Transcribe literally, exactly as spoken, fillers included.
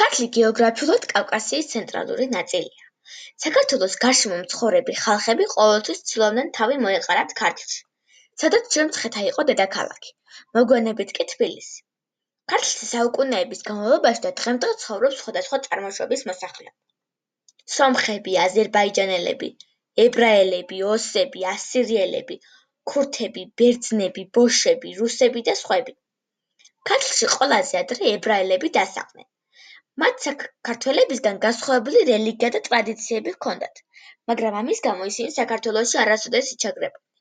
ქართლი გეოგრაფიულად კავკასიის ცენტრალური ნაწილია. საქართველოს გარშემო მცხოვრები ხალხები ყოველთვის ცდილობდნენ თავი მოეყარათ ქართლში, სადაც ჯერ მცხეთა იყო დედაქალაქი, მოგვიანებით კი თბილისი. ქართლში საუკუნეების განმავლობაში და დღემდე ცხოვრობს სხვადასხვა წარმოშობის მოსახლეობა. სომხები, აზერბაიჯანელები, ებრაელები, ოსები, ასირიელები, ქურთები, ბერძნები, ბოშები, რუსები და სხვები. ქართლში ყველაზე ადრე ებრაელები დასახლდნენ. მათ საქართველებისგან განსხვავებული რელიგია და ტრადიციები ჰქონდათ, მაგრამ ამის გამო ისინი საქართველოში არასოდეს იჩაგრებოდნენ.